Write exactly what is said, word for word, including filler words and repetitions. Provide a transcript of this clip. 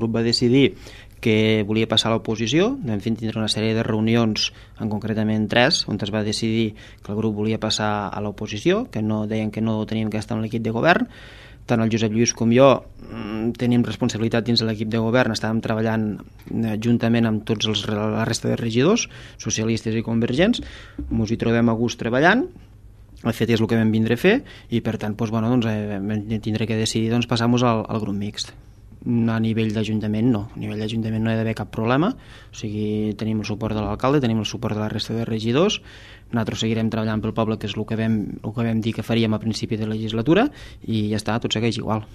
grup va decidir que volia passar a l'oposició, vam fer tindre una sèrie de reunions, en concretament tres, on es va decidir que el grup volia passar a l'oposició, que no deien que no teníem que estar en l'equip de govern. Tant el Josep Lluís com jo tenim responsabilitat dins de l'equip de govern, estàvem treballant juntament amb tots els, la resta de regidors, socialistes i convergents, ens hi trobem a gust treballant. De fet és el que vam vindre a fer i per tant doncs, bueno, doncs, eh, vam tindre que decidir doncs, passar-nos al, al grup mixt. A nivell d'Ajuntament no, a nivell d'Ajuntament no hi ha d'haver cap problema, o sigui, tenim el suport de l'alcalde, tenim el suport de la resta de regidors, nosaltres seguirem treballant pel poble, que és el que vam, el que vam dir que faríem a principi de legislatura, i ja està, tot segueix igual.